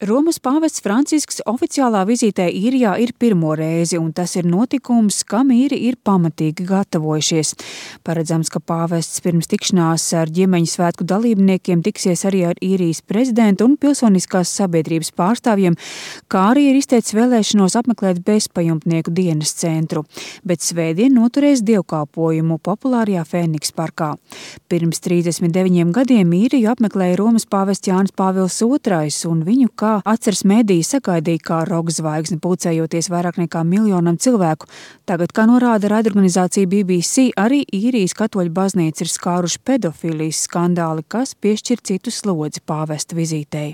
Romas pāvests Francisks oficiālā vizītē Īrijā ir pirmo reizi, un tas ir notikums, kam īri ir pamatīgi gatavojušies. Paredzams, ka pāvests pirms tikšanās ar ģimeņu svētku dalībniekiem tiksies arī ar Īrijas prezidentu un pilsoniskās sabiedrības pārstāvjiem, kā arī ir izteicis vēlēšanos apmeklēt bezpajumtnieku dienas centru, bet svētdien noturēs dievkalpojumu populārajā Fēniks parkā. Pirms 39 gadiem Īriju apmeklēja Romas pāvests Jānis Pāvils II, un viņu kā atceras mediji sagaidīja kā rokzvaigzni, pulcējoties vairāk nekā miljonam cilvēku. Tagad, kā norāda raidorganizācija BBC, arī Īrijas katoļu baznīca ir skāruši pedofīlijas skandāli, kas piešķir citu slodzi pāvesta vizītei.